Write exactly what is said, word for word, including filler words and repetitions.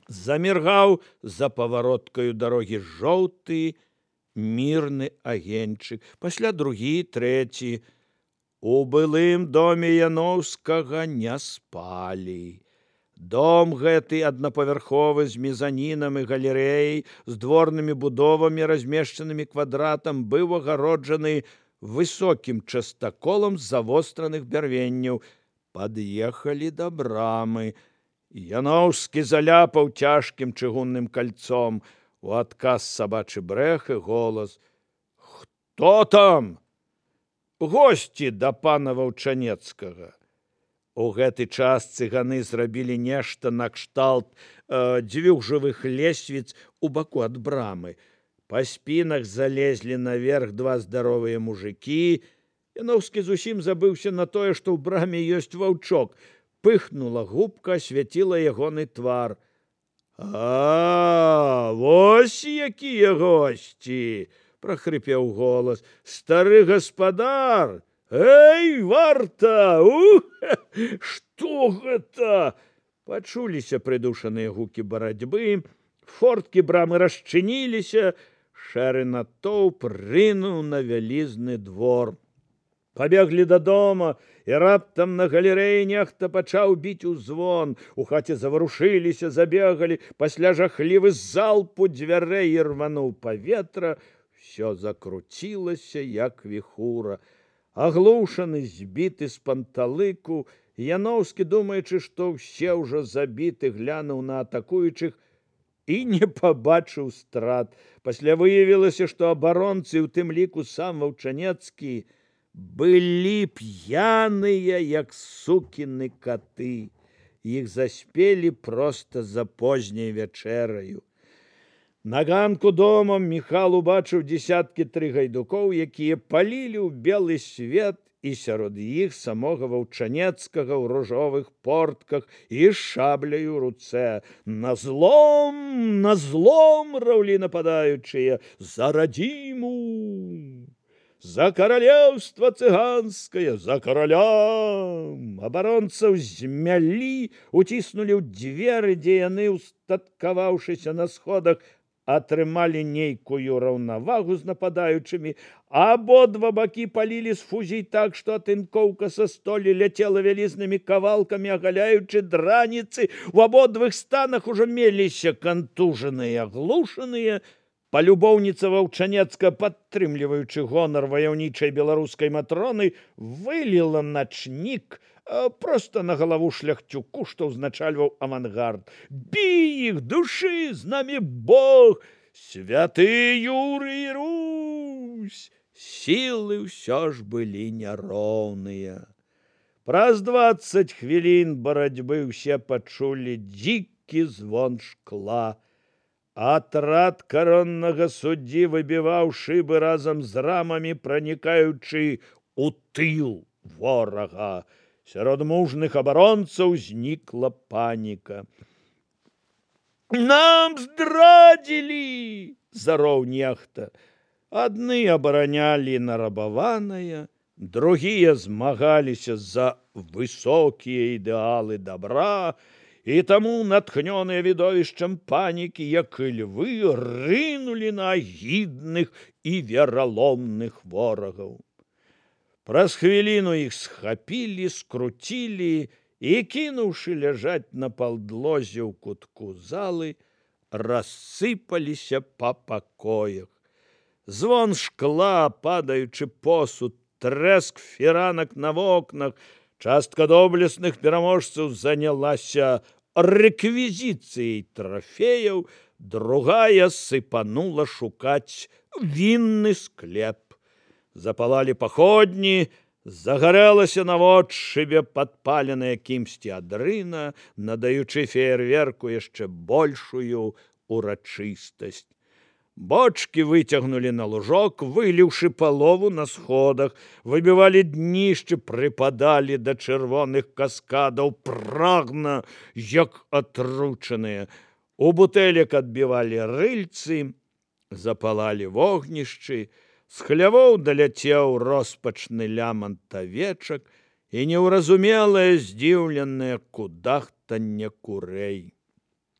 Заміргаў за павароткаю дарогі жоўты мірны агеньчык, пасля другі, трэці. У былым доме Яноўскага не спалі. Дом гэты аднапавярховы з мезанінам і галерэяй, з дворнымі будовамі, размешчанымі квадратам, быў агароджаны высокім частаколам з завостраных бярвенняў. Пад'ехалі да брамы. Яноўскі заляпаў цяжкім чыгунным кальцом. У адказ сабачы брэх і голас: «Хто там?» «Госці да пана Ваўчанецкага». У гэты час цыганы зрабілі нешта накшталт э, дзвюх жывых лесвіц у баку ад брамы. Па спінах залезлі наверх два здаровыя мужыкі. Яноўскі зусім забыўся на тое, што ў браме ёсць ваўчок. Пыхнула губка, асвяціла ягоны твар. «А, вось якія госці!» – прахрыпеў голас. «Стары гаспадар! Эй, варта! Ух! Што гэта?» Пачуліся прыдушаныя гукі барацьбы, форткі брамы расчыніліся, шэры натоўп рынуў на вялізны двор. Пабеглі дадому, і раптам на галерэі нехта пачаў біць у звон. У хаце заварушыліся, забегалі, пасля жахлівы залп у дзвярэй ірвануў паветра. Всё закруцілася, як віхура. Аглушаны, збіты з панталыку, Яноўскі, думаючы, што ўсе ўжо забіты, глянуў на атакуючых і не пабачыў страт. Пасля выявілася, што абаронцы, у тым ліку сам Ваўчанецкі, былі п'яныя, як сукіны каты. Іх заспелі проста за позняй вячэраю. На ганку домам Міхал убачыў дзесяткі тры гайдукоў, якія палілі ў белы свет, і сярод іх самога Ваўчанецкага ў ружовых портках і шабляю ў руцэ. На злом, на злом, раўлі нападаючыя, за радзіму! За каралеўства цыганскае, за караля! Абаронцаў змялі, уціснулі ў дзверы, дзе яны, устаткаваўшыся на сходах, атрымалі нейкую раўнавагу з нападаючымі. Абодва бакі палілі з фузій так, што атынкоўка са столі ляцела вялізнымі кавалкамі, агаляючы драніцы. У абодвых станах ужо меліся кантужаныя, аглушаныя. Палюбоўніца Ваўчанецка, падтрымліваючы гонар ваяўнічай беларускай матроны, выліла начнік проста на галаву шляхцюку, што ўзначальваў авангард. «Бі іх, душы, з намі Бог! Святы Юрый і Русь!» Сілы ўсё ж былі няроўныя. Праз дваццаць хвілін барацьбы ўсе пачулі дзікі звон шкла. Атрад кароннага суддзі выбіваў шыбы разам з рамамі, пранікаючы ў тыл ворага. Сярод мужных абаронцаў знікла паніка. «Нам здрадзілі!» – зароў нехта. Адны абаранялі нарабаванае, другія змагаліся за высокія ідэалы добра, і таму, натхнёныя відовішчам панікі, як і львы, рынулі на агідных і вераломных ворагаў. Праз хвіліну іх схапілі, скруцілі і, кінуўшы ляжаць на палдлозе ў кутку залы, рассыпаліся па пакоях. Звон шкла, падаючы посуд, трэск фіранак на вокнах, частка доблесных пераможцаў занялася рэквізіцыяй трафеяў, другая сыпанула шукаць вінны склеп. Запалалі паходні, загарэлася наводшыбе падпаленая кімсьці адрына, надаючы феерверку яшчэ большую урачыстасць. Бочкі выцягнулі на лужок, выліўшы палову на сходах, выбівалі днішчы, прыпадалі да чырвоных каскадаў, прагна, як атручаныя. У бутэлек адбівалі рыльцы, запалалі вогнішчы, з хлявоў даляцеў роспачны лямант авечак і неўразумелае здзіўленае кудахтанне курэй.